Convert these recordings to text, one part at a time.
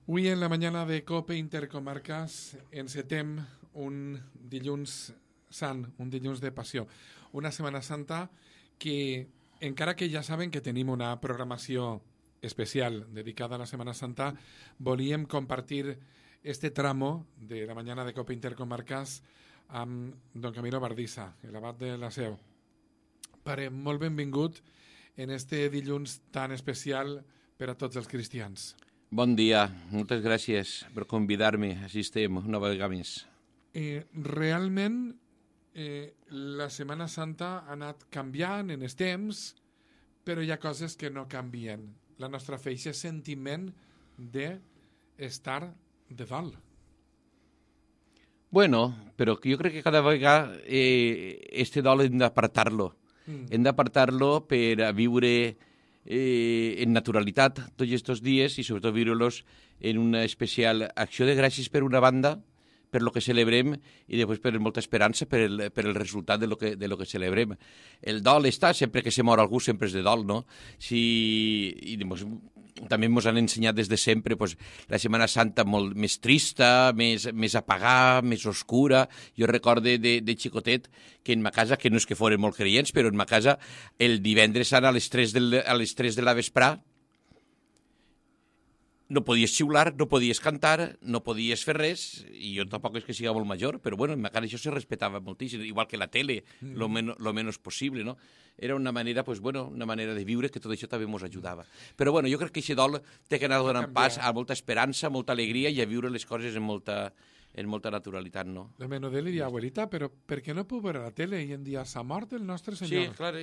Avui en la mañana de COPE Intercomarcas encetem un dilluns sant, un dilluns de passió, una Setmana Santa que, encara que ja saben que tenim una programació especial dedicada a la Setmana Santa, volíem compartir este tramo de la mañana de COPE Intercomarcas amb don Camilo Bardissa, l'abat de la Seu. Pare, molt benvingut en este dilluns tan especial per a tots els cristians. Bon dia, moltes gràcies per convidar-me. Així estem, una vegada més. Realment, la Setmana Santa ha anat canviant en els temps, però hi ha coses que no canvien. La nostra fe, aquest sentiment d'estar de dalt. Bueno, però jo crec que cada vegada este dol hem d'apartar-lo. Hem d'apartar-lo per a viure en naturalitat tots aquests dies i sobretot viure-los en una especial acció de gràcies per una banda, per lo que celebrem i després per molta esperança per el resultat de lo que celebrem. El dol està, sempre que se mor algú sempre és de dol, no? També ens han ensenyat des de sempre la Setmana Santa molt més trista, més apagada, més oscura. Jo recorde de xicotet que en ma casa, que no és que foren molt creients, però en ma casa el divendres sant a les 3 de la vesprà no podies xiular, no podies cantar, no podies fer res, i jo tampoc és que siga molt major, però bueno, en ma casa això se respetava moltíssim, igual que la tele, lo menos possible, no? Era una manera, una manera de viure que tot això també ens ajudava. Però bueno, jo crec que aquest dol té que anar donant pas a molta esperança, molta alegria i a viure les coses en molta naturalitat, no? La menudé li diu, abuelita, però per què no puc veure la tele? I en dia s'ha mort el nostre senyor. Sí, clar,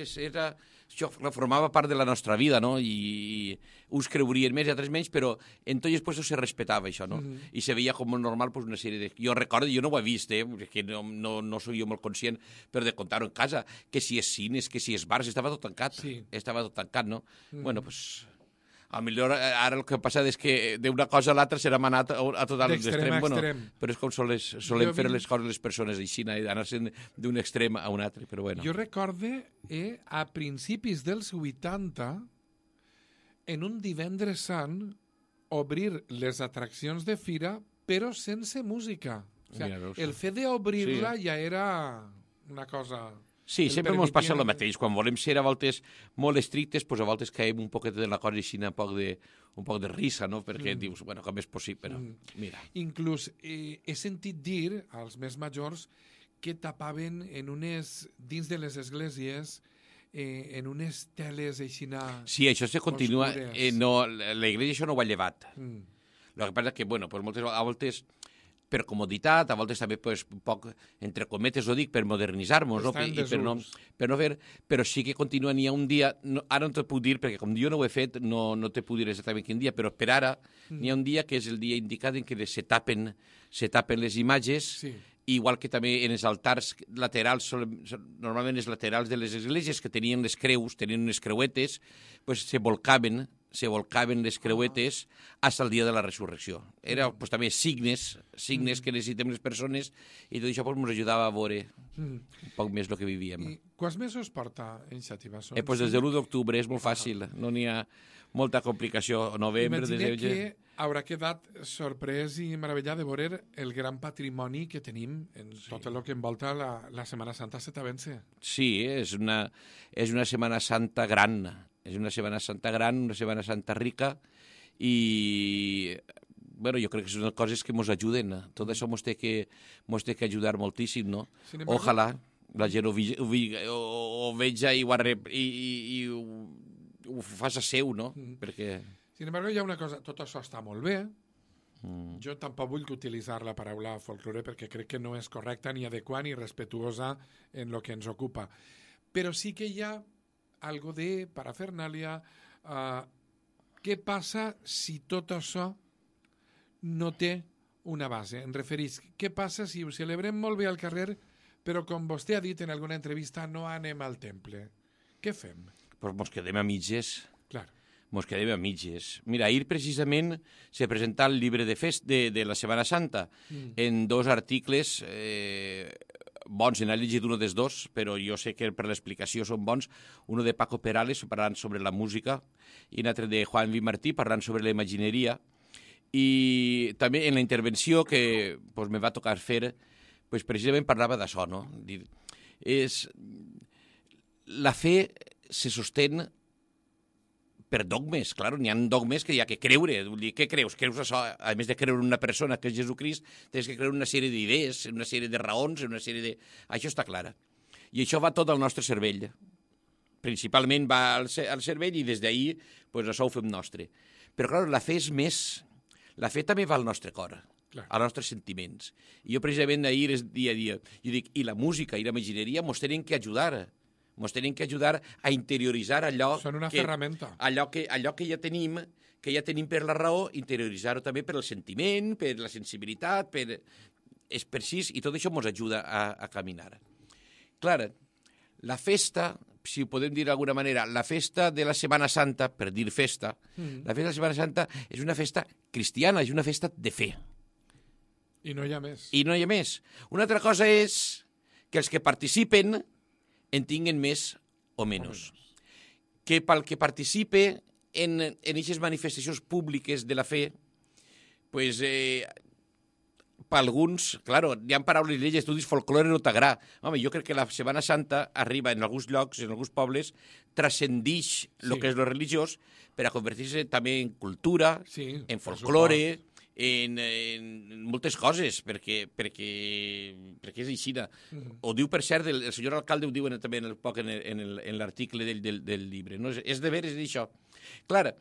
això formava part de la nostra vida, no? I uns creurien més i altres menys, però en tots els puestos se respetava això, no? I se veia com normal una sèrie de... Jo recordo, jo no ho he vist, que no soc jo molt conscient, però de contar-ho en casa, que si és cines, que si és bars, estava tot tancat. Sí. Estava tot tancat, no? Bueno, doncs... A millor ara el que passa és que d'una cosa a l'altra serà manat a tot l'extrem. D'extrem a extrem. Però és com solem fer les coses les persones així, anar-se'n d'un extrem a un altre, però bueno. Jo recorde a principis dels 80, en un divendres sant, obrir les atraccions de fira, però sense música. O sigui, el fet d'obrir-la ja era una cosa... Sí, sempre ens passa el mateix. Quan volem ser a voltes molt estrictes, a voltes caiem un poquet de la cosa així, un poc de risa, no? Perquè dius, bueno, com és possible, però mira. Inclús he sentit dir als més majors que tapaven dins de les esglésies en unes teles aixina... Sí, això se continua. L'església això no ho ha llevat. El que passa és que, bueno, a voltes... per comoditat, a voltes també un poc, entre cometes ho dic, per modernitzar-nos, no? Per no fer, però sí que continua, n'hi ha un dia, ara no t'ho puc dir, perquè com jo no ho he fet, no te puc dir exactament quin dia, però per ara n'hi ha un dia que és el dia indicat en què se tapen les imatges, sí. Igual que també en els altars laterals, normalment els laterals de les esglésies que tenien les creus, tenien unes creuetes, se volcaven les creuetes fins al dia de la resurrecció. Era també signes que necessitem les persones i tot això ens ajudava a veure un poc més el que vivíem. I quants mesos porta en Xàtiva? Des de l'1 d'octubre és molt fàcil, no n'hi ha molta complicació. Novembre, Imagina que haurà quedat sorprès i meravellat de veure el gran patrimoni que tenim en tot el que envolta la Setmana Santa setavense. Sí, és una Setmana Santa gran. És una Setmana Santa gran, una Setmana Santa rica i jo crec que són coses que ens ajuden. Tot això ens té que ajudar moltíssim, no? Ojalà la gent ho veja i ho faci seu, no? Perquè... Sin embargo, hi ha una cosa, tot això està molt bé. Jo tampoc vull utilitzar la paraula folklore perquè crec que no és correcta, ni adequada, ni respetuosa en el que ens ocupa. Però sí que hi ha algo de parafernàlia. Què passa si tot això no té una base? Em referís, què passa si ho celebrem molt bé al carrer, però com vostè ha dit en alguna entrevista, no anem al temple? Què fem? Pues mos quedem a mitges. Clar. Mos quedem a mitges. Mira, ahir precisament se presenta el llibre de la Setmana Santa en 2 articles bons, n'he llegit un dels 2, però jo sé que per l'explicació són bons. Un de Paco Perales, parlant sobre la música, i un altre de Juan V. Martí, parlant sobre la imagineria. I també en la intervenció que pues, me va tocar fer, pues, precisament parlava d'això, no? La fe se sostén per dogmes, clar, n'hi ha dogmes que hi ha que creure. Vull dir, què creus? Creus això? A més de creure en una persona que és Jesucrist, tens que creure en una sèrie d'idees, en una sèrie de raons, en una sèrie de... Això està clar. I això va tot al nostre cervell. Principalment va al cervell i des d'ahir pues, això ho fem nostre. Però, clar, la fe és més... La fe també va al nostre cor, als nostres sentiments. I jo, precisament, ahir, dia a dia, jo dic, i la música i la imagineria mos tenen que ajudar. Mos tenen que ajudar a interioritzar allò... Són una ferramenta. Allò que ja tenim per la raó, interioritzar-ho també per el sentiment, per la sensibilitat, és per així, i tot això ens ajuda a caminar. Clar, la festa, si ho podem dir d'alguna manera, la festa de la Setmana Santa, per dir festa, la festa de la Setmana Santa és una festa cristiana, és una festa de fe. I no hi ha més. I no hi ha més. Una altra cosa és que els que participen en tinguen més o menys. Que pel que participe en aquestes manifestacions públiques de la fe, pues, per alguns, claro, hi ha paraules i estudis folclore no t'agrada. Home, jo crec que la Setmana Santa arriba en alguns llocs, en alguns pobles, transcendix el que és lo religiós per a convertir-se també en cultura, en folclore, en moltes coses, perquè és així. Ho diu, per cert, el senyor alcalde ho diu també en l'article del llibre. No? És de veres d'això. Clar,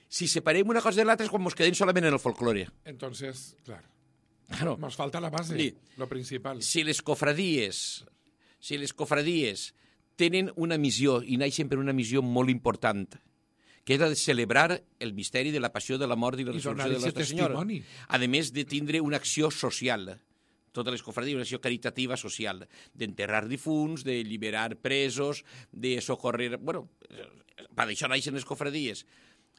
si separem una cosa de l'altra és quan ens quedem solament en el folclore. Entonces, clar, claro. Nos falta la base, lo principal. Si les cofradies tenen una missió, i naixen per una missió molt important, que és la de celebrar el misteri de la passió, de la mort i la resurrecció de Nostra Senyora. A més de tindre una acció social, totes les cofradies, una acció caritativa social, d'enterrar difunts, de liberar presos, de socorrer... Bueno, per això naixen les cofradies.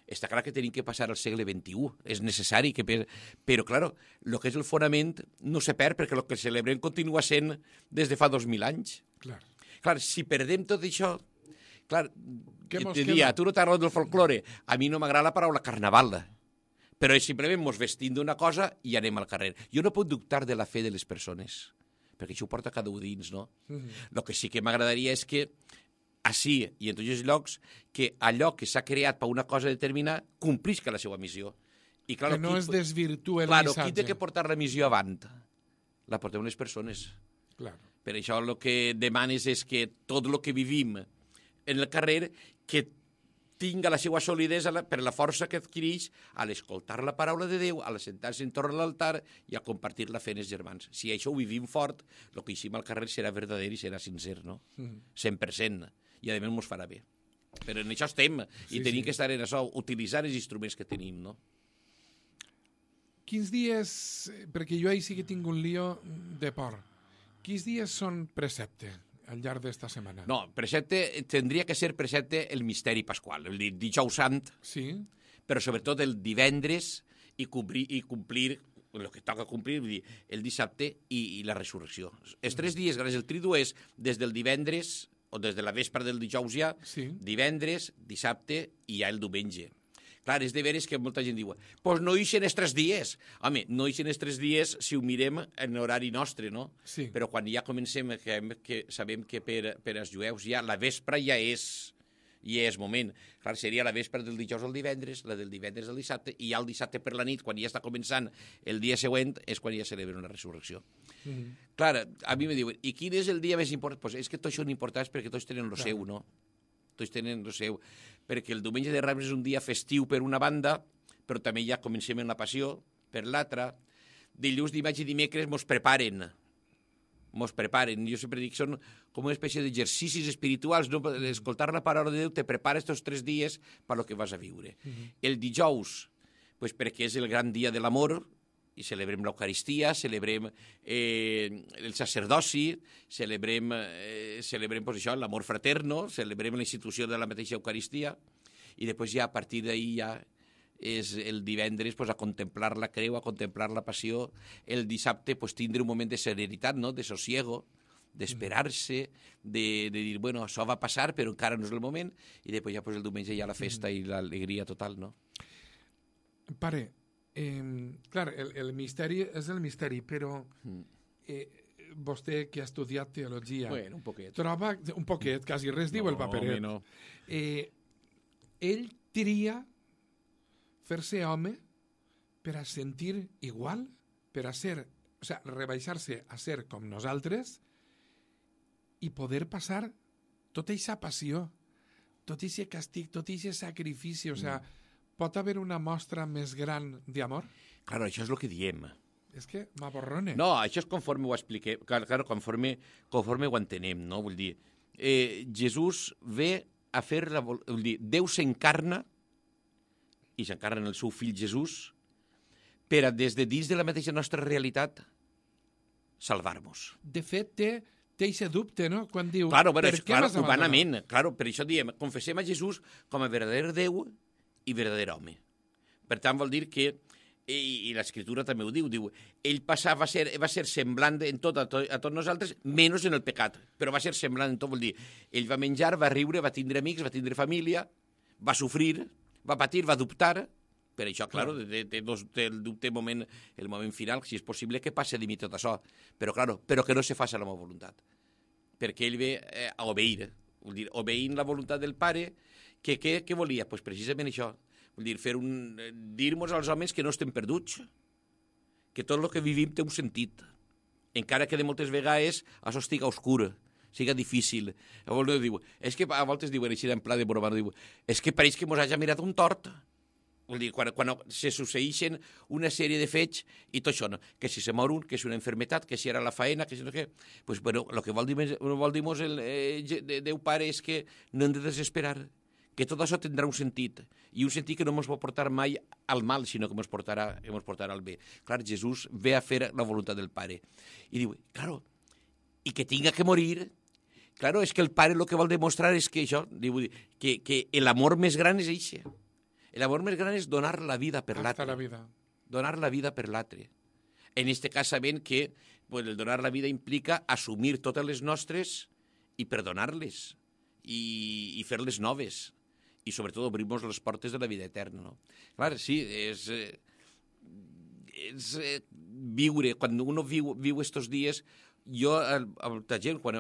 Està clar que tenim que passar al segle XXI, és necessari, però, clar, el que és el fonament no se perd, perquè el que celebrem continua sent des de fa 2.000 anys. Clar, si perdem tot això... Clar, te dia, tu no t'agrada del folclore, a mi no m'agrada la paraula carnaval, però simplement mos vestim d'una cosa i anem al carrer. Jo no puc dubtar de la fe de les persones, perquè això ho porta cada un dins, no? El que sí que m'agradaria és que així i en tots els llocs, que allò que s'ha creat per una cosa determinada complisca la seva missió. I, clar, que no es desvirtue el missatge. Qui té que portar la missió avant? La portem les persones. Per això el que demanes és que tot el que vivim en el carrer, que tinga la seva solidesa per la força que adquireix a l'escoltar la paraula de Déu, a sentar-se entorn a l'altar i a compartir la fe en els germans. Si això ho vivim fort, el que eixim al carrer serà verdader i serà sincer, no? 100%. I a més mos farà bé. Però en això estem, i tenim que estar en això, utilitzar els instruments que tenim, no? Quins dies, perquè jo ahir sí que tinc un lío de por, quins dies són precepte al llarg d'esta setmana? No, precepte, tindria que ser precepte el misteri pasqual, el dijous sant, però sobretot el divendres i complir el que toca complir, vull dir, el dissabte i la resurrecció. Els 3 dies, gràcies al tridu, és des del divendres, o des de la vespre del dijous ja, divendres, dissabte i ja el diumenge. Clar, és de veres que molta gent diu, pues no ixen els 3 dies. Home, no ixen els 3 dies si ho mirem en horari nostre, no? Però quan ja comencem, que sabem que per als jueus ja la vespre ja és moment. Clar, seria la vespre del dijous al divendres, la del divendres al dissabte, i ja el dissabte per la nit, quan ja està començant el dia següent, és quan ja celebra una resurrecció. Clar, a mi me diuen, i quin és el dia més important? Pues és que tots són importants perquè tots tenen el seu, no? Tots tenen el seu. Perquè el diumenge de Rams és un dia festiu per una banda, però també ja comencem en la passió per l'altra. Dilluns, dimarts i dimecres mos preparen. Jo sempre dic, són com una espècie d'exercicis espirituals, no? Escoltar la paraula de Déu te prepara estos 3 dies per lo que vas a viure. El dijous, pues perquè és el gran dia de l'amor, i celebrem l'Eucaristia, celebrem el sacerdoci, celebrem pues això, l'amor fraterno, celebrem la institució de la mateixa Eucaristia, i després ja a partir d'ahir ja és el divendres pues, a contemplar la creu, a contemplar la passió, el dissabte pues, tindre un moment de serenitat, no? De sosiego, d'esperar-se, de dir, bueno, això va passar, però encara no és el moment, i després ja pues, el diumenge hi ha la festa i l'alegria total, no? Pare, Clar, el misteri és el misteri, però vostè que ha estudiat teologia bueno, un poquet. troba un poquet, quasi res diu el paperet. No. Ell tria fer-se home per a sentir igual, per a ser, o sea, rebaixar-se a ser com nosaltres i poder passar tota aquesta passió, tot aquest castig, tot aquest sacrifici, o sea, pot haver una mostra més gran d'amor? Claro, això és el que diem. És que m'aborrone. No, això és conforme ho expliquem, claro, conforme ho entenem, no? Vull dir, Jesús ve a fer vull dir, Déu s'encarna i s'encarna en el seu fill Jesús per a, des de dins de la mateixa nostra realitat, salvar-nos. De fet, té aquest dubte, no? Quan diu, claro, per què m'has abandonat? Humanament, claro, per això diem, confessem a Jesús com a verdader Déu i verdader home. Per tant, vol dir que, i l'Escritura també ho diu, ell va ser semblant en tot a tots nosaltres, menys en el pecat, però va ser semblant en tot, vol dir, ell va menjar, va riure, va tindre amics, va tindre família, va sofrir, va patir, va dubtar. Per això, claro, té el dubte el moment final, si és possible que passe de mi tot això. Però, claro, però que no se faci la meva voluntat. Perquè ell ve a obeir. Vol dir, obeint la voluntat del pare, que què volia? Pues precisament això. Vol dir, dir-nos als homes que no estem perduts, que tot el que vivim té un sentit. Encara que de moltes vegades això estiga oscur, siga difícil. És que a voltes diuen així en pla de broma, és que pareix que mos hagi mirat un tort. Vol dir, quan se succeeixen una sèrie de fets i tot això, no? Que si se mor un, que és una enfermetat, que si era la faena, que si no què... Pues, bueno, el que vol dir-nos el Déu Pare és que no hem de desesperar, que tot això tindrà un sentit, i un sentit que no ens pot portar mai al mal, sinó que ens portarà al bé. Clar, Jesús ve a fer la voluntat del Pare. I diu, claro, i que tinga que morir... Claro, és que el Pare el que vol demostrar és que això, diu, que l'amor més gran és això. L'amor més gran és donar la vida per l'altre. Donar la vida per l'altre. En aquest cas, sabent que el donar la vida implica assumir totes les nostres i perdonar-les i fer-les noves. I, sobretot, obrir-nos les portes de la vida eterna. No? Clar, sí, és viure. Quan uno viu estos dies... Jo, a la gent, quan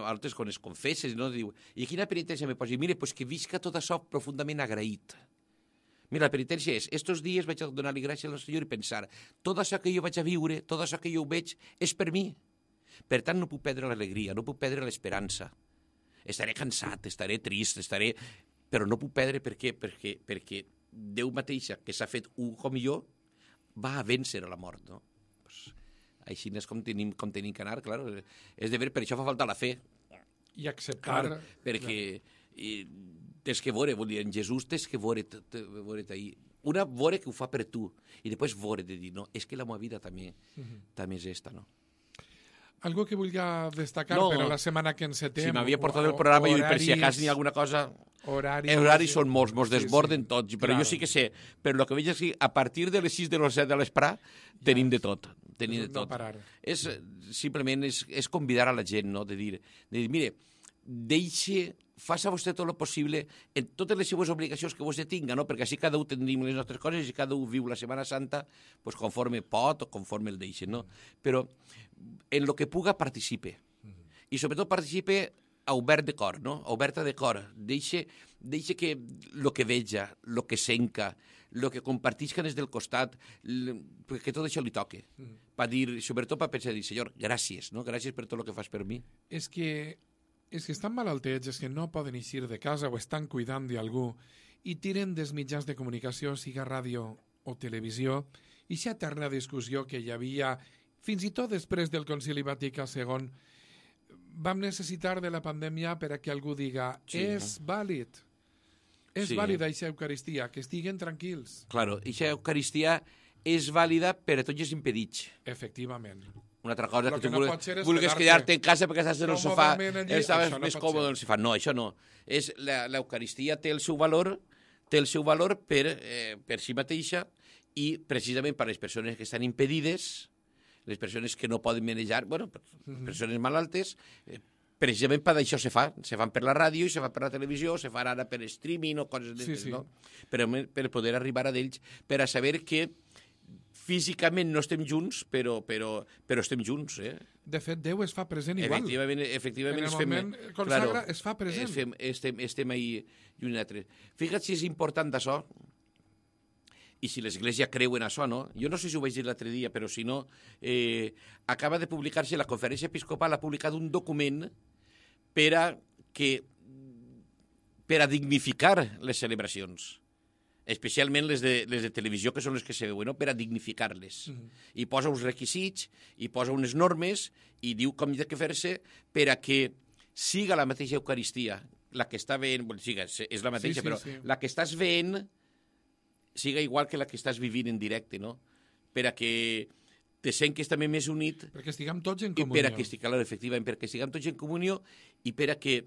es confesses, no, diu, i quina penitència me posi? Mira, pues que visca tot això profundament agraït. Mira, la penitència és, estos dies vaig a donar-li gràcies al Senyor i pensar, tot això que jo vaig a viure, tot això que jo veig, és per mi. Per tant, no puc perdre l'alegria, no puc perdre l'esperança. Estaré cansat, estaré trist, però no puc perdre perquè Déu mateixa, que s'ha fet un com jo, va a vèncer a la mort, no? Pues, així és com tenim que anar, clar. És de veure, per això fa falta la fe. I acceptar... Clar, perquè... tens que veure, vol dir, en Jesús tens que veure ahir. Una veure que ho fa per tu, i després veure de dir, no, és que la meva vida també és esta, no? Algo que vulgui destacar per a la setmana que encetem... Si m'havia portat el programa, i per si a cas n'hi ha alguna cosa... Horaris són molts, mos desborden tots, però jo sí que sé, però el que veig és que a partir de les 6 de les 7 de l'esprà tenim de tot. No parar. Simplement és convidar a la gent, no? De dir, mire, faça vostè tot el possible en totes les seues obligacions que vostè tinga, no? Perquè així cada un tenim les nostres coses i cada un viu la Setmana Santa pues, conforme pot o conforme el deixen, no? Però en el que puga participe. I sobretot participe obert de cor, no? Oberta de cor. Deixa que el que veja, el que senca, el que compartisca des del costat, que tot això li toque. Per dir, sobretot per pensar, Senyor, gràcies, no? Gràcies per tot el que fas per mi. És que estan malaltets, és que no poden eixir de casa o estan cuidant d'algú i tiren dels mitjans de comunicació, siga ràdio o televisió, i aquesta eterna discussió que hi havia fins i tot després del Concili Vaticà II, vam necessitar de la pandèmia per a que algú diga és vàlid, vàlida aquesta Eucaristia, que estiguen tranquils. Claro, aquesta Eucaristia és vàlida per a tots els impedits. Efectivament. Una altra cosa que tu vulguis quedar-te en casa perquè estàs en el sofà, estaves més còmode en el sofà. No, això no. L'Eucaristia té el seu valor per si mateixa i precisament per les persones que estan impedides, les persones que no poden manejar, bueno, persones malaltes, precisament per això se fan per la ràdio, se fan per la televisió, se fan ara per streaming o coses d'aquestes, no? Per poder arribar a ells, per a saber que físicament no estem junts, però estem junts, eh? De fet, Déu es fa present igual. Efectivament. En el moment consagra es fa present. Estem ahí i un altre. Fíjate si és important això, i si l'Església creu en això, no? Jo no sé si ho vaig dir l'altre dia, però si no, acaba de publicar-se, la Conferència Episcopal ha publicat un document per a dignificar les celebracions, especialment les de televisió, que són les que se veuen, no? Per a dignificar-les. I posa uns requisits, i posa unes normes, i diu com ha de fer-se per a que siga la mateixa Eucaristia, la que està veient, és la mateixa, però la que estàs veient siga igual que la que estàs vivint en directe, no? Per a que te sents també més unit. Perquè estiguem tots en comunió. Efectivament, perquè estiguem tots en comunió i per a que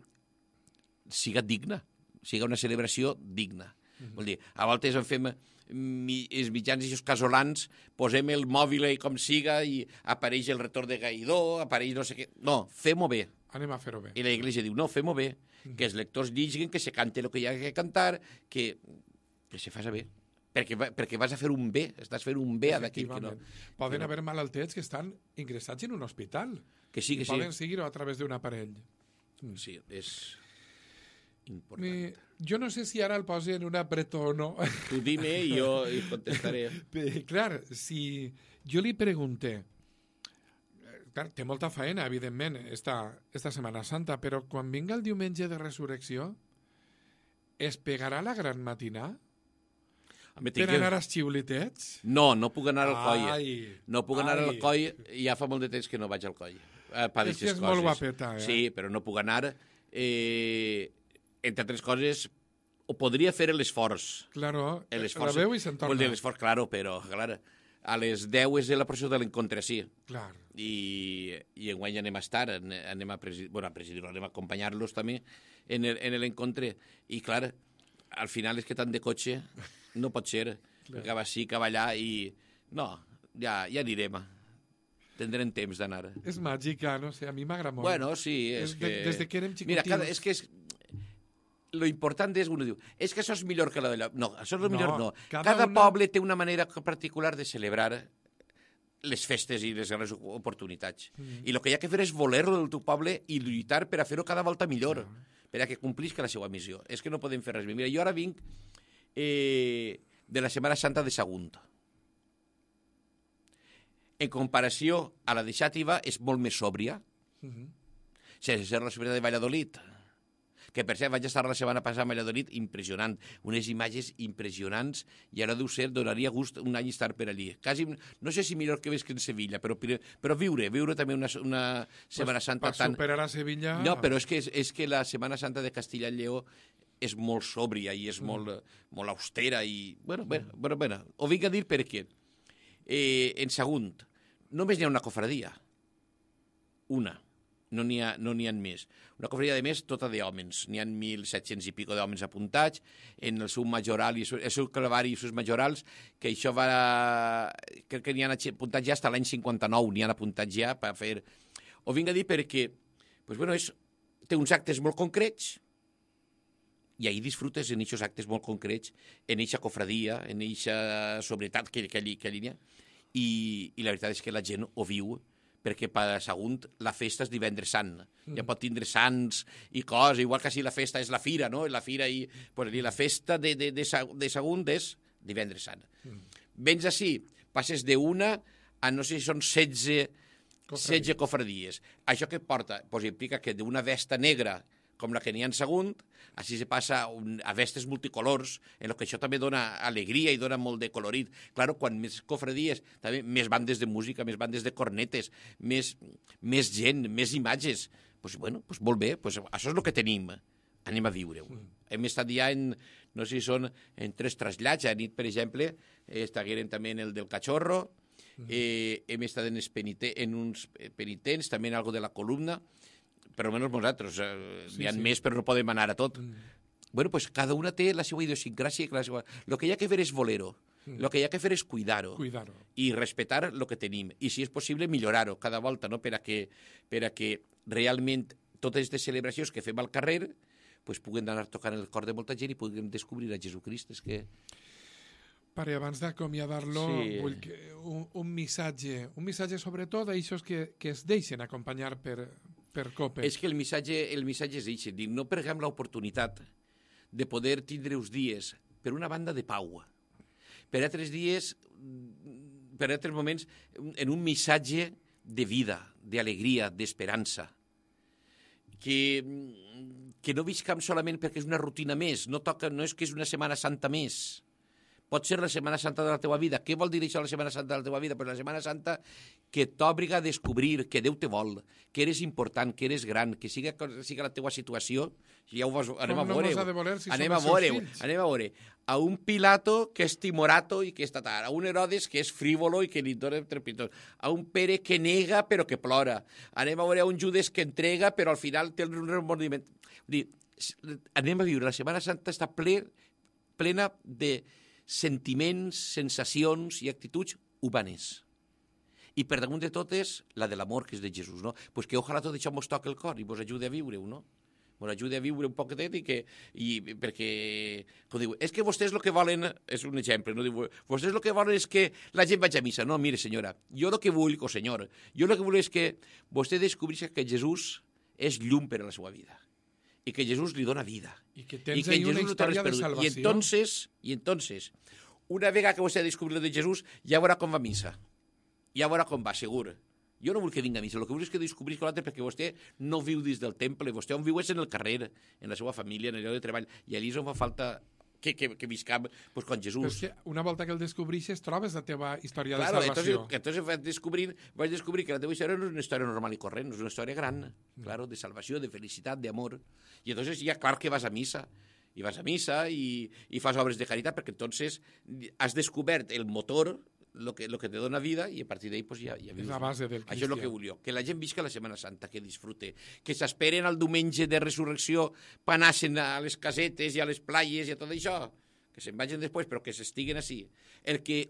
siga digna, siga una celebració digna. Vol dir, a voltes en fem els mitjans i els casolans, posem el mòbil com siga i apareix el retorn de Gaidó, apareix no sé què. No, fem-ho bé. Anem a fer-ho bé. I la Iglesia diu, no, fem-ho bé, que els lectors lliguen, que se cante el que hi ha que cantar, que se faci bé. Perquè vas a fer un bé, estàs fent un bé a d'aquell que no. Poden haver malaltets que estan ingressats en un hospital. Que sí. Poden seguir-ho a través d'un aparell. Sí, és important. Jo no sé si ara el posi en un apretó o no. Tu dime i jo contestaré. Clar, si jo li pregunté, clar, té molta feina, evidentment, esta Setmana Santa, però quan vinga el diumenge de Resurrecció, es pegarà la gran matinà? Per anar als xiulitets? No puc anar al coll. No puc anar al coll, ja fa molt de temps que no vaig al coll. És que és molt guapeta, eh? Sí, però no puc anar. Entre altres coses, ho podria fer l'esforç. Claro, la veu i se'n torna. Vol dir l'esforç, claro, però a les 10 és la processó de l'encontre, sí. Clar. I enguany anem a estar, anem a presidir-lo, anem a acompanyar-los també en l'encontre. I clar, al final és que tant de cotxe no pot ser. Acaba així, acaba allà i... No, ja anirem. Tindrem temps d'anar. És màgica, no sé, a mi m'agrada molt. Bueno, sí, és que... Des de que érem xicotinos... Mira, és que lo important és, uno diu, és que això és millor que la d'allò. No, això és millor no. Cada poble té una manera particular de celebrar les festes i les grans oportunitats. I el que hi ha que fer és voler-lo del teu poble i lluitar per a fer-ho cada volta millor, per a que complisca la seva missió. És que no podem fer res més. Mira, jo ara vinc de la Setmana Santa de Sagunt. En comparació a la de Xàtiva, és molt més sòbria. Sense ser la Sobrina de Valladolid, que per cert vaig estar la setmana passada a Valladolid, impressionant, unes imatges impressionants, i ara deu ser, donaria gust un any estar per allí. Quasi, no sé si millor que ves que en Sevilla, però viure també una Setmana Santa tan... Per superar a Sevilla... No, però és que la Setmana Santa de Castilla i Lleó és molt sòbria i és molt austera i... Bueno, ho vinc a dir perquè en Sagunt només n'hi ha una cofradia. Una. No n'hi ha més. Una cofradia de més tota d'hòmens. N'hi ha 1.700 i pico d'hòmens apuntats en el seu majoral, el seu clavari i els seus majorals, que això va... Crec que n'hi han apuntats ja fins a l'any 59, n'hi han apuntats ja per fer... Ho vinc a dir perquè té uns actes molt concrets i ahir disfrutes en aquests actes molt concrets, en aquesta cofradia, en aquesta sobrietat que allí n'hi ha. I la veritat és que la gent ho viu, perquè per Sagunt la festa és divendres sant. Ja pot tindre sants i coses, igual que si la festa és la fira, no? La fira i la festa de Sagunt és divendres sant. Vens així, passes d'una a no sé si són 16 cofradies. Això què porta? Pues implica que d'una vesta negra com la que n'hi ha en Sagunt, així se passa a vestes multicolors, en el que això també dona alegria i dona molt de colorit. Claro, quan més cofradies, també més bandes de música, més bandes de cornetes, més gent, més imatges. Pues molt bé, això és el que tenim. Anem a viure-ho. Hem estat ja no sé si són en 3 trasllats. A nit, per exemple, estiguérem també en el del Cachorro, hem estat en uns penitents, també en algo de la columna, per almenys nosaltres, n'hi ha més però no podem anar a tot. Cada una té la seva idiosincràsia. El que hi ha que fer és voler-ho. El que hi ha que fer és cuidar-ho. I respectar el que tenim. I, si és possible, millorar-ho cada volta, no? Per a que realment totes aquestes celebracions que fem al carrer puguen anar tocant el cor de molta gent i puguem descobrir a Jesucrist. És que... Pare, abans d'acomiadar-lo, vull que un missatge sobretot a aquests que es deixen acompanyar per Cope. És que el missatge és això, no perguem l'oportunitat de poder tindre uns dies, per una banda, de pau, per altres dies, per altres moments, en un missatge de vida, d'alegria, d'esperança, que no viscam solament perquè és una rutina més, no és que és una Setmana Santa més. Pot ser la Setmana Santa de la teva vida. Què vol dir això, la Setmana Santa de la teva vida? Pues la Setmana Santa que t'obliga a descobrir que Déu te vol, que eres important, que eres gran, que siga la teva situació. Ja ho vas, anem a veure. A un Pilato que és timorato i que és tatar, a un Herodes que és frívolo i que li dona trepitós, a un Pere que nega però que plora, anem a veure a un Judes que entrega però al final té un remordiment. Anem a viure, la Setmana Santa està plena de sentiments, sensacions i actituds humanes. I per damunt de totes, la de l'amor, que és de Jesús, no? Pues que ojalà tot això mos toqui el cor i mos ajude a viure-ho, no? Mos ajude a viure un poquetet perquè, com diu, és que vostès el que volen, és un exemple, no? Diu, vostès el que volen és que la gent vagi a missa. No, mire, senyora, jo el que vull, senyor, jo el que vull és que vostè descobreixi que Jesús és llum per a la seva vida i que Jesús li dona vida. I que tens ahí una història de salvació. I entonces, una vegada que vostè ha descobrit de Jesús, ja veurà com va a missa. Ja veurà com va, segur. Jo no vull que vingui a missa, el que vull és que descobrisca l'altre perquè vostè no viu dins del temple, vostè on viu és en el carrer, en la seva família, en el lloc de treball, i allí és on fa falta que viscam pues, con Jesús. Però és que una volta que el descobreixes trobes la teva història de salvació. Entonces vaig descobrir que la teva història no és una història normal i corrent, és una història gran, claro, de salvació, de felicitat, d'amor. I entonces ja clar que vas a missa, i fas obres de caritat, perquè entonces has descobert el motor, lo que te dona vida, i a partir d'ahí pues, ja vius. És la base del cristià. Això és el que vull jo, que la gent visca la Setmana Santa, que disfrute, que s'esperen al diumenge de resurrecció per anar-se'n a les casetes i a les playes i a tot això, que se'n vagin després, però que s'estiguen així.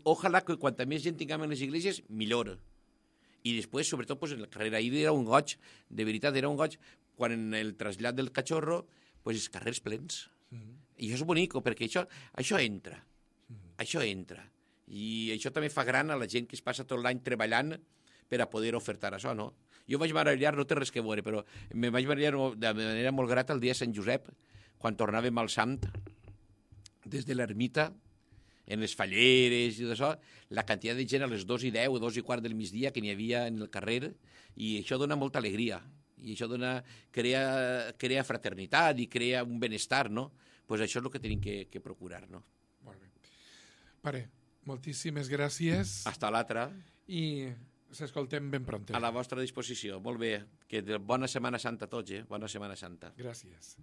Ojalà que quanta més gent tinguem en les igleses, millor. I després, sobretot, pues, en el carrer ahir era un goig, de veritat, era un goig, quan en el trasllat del cachorro, pues, els carrers plens. I això és bonic, perquè això entra. Això entra. I això també fa gran a la gent que es passa tot l'any treballant per a poder ofertar això, no? Jo vaig meravellar, no té res que veure, però me vaig meravellar de manera molt grata el dia de Sant Josep, quan tornàvem al Sant, des de l'ermita, en les falleres i tot això, la quantitat de gent a les 2:10 o 2:15 del migdia que n'hi havia en el carrer, i això dona molta alegria, i això crea fraternitat i crea un benestar, no? Pues això és el que tenim que procurar, no? Molt bé. Pare, moltíssimes gràcies. Hasta l'altra. I s'escoltem ben pront. A la vostra disposició. Molt bé. Que bona Setmana Santa a tots, Bona Setmana Santa. Gràcies.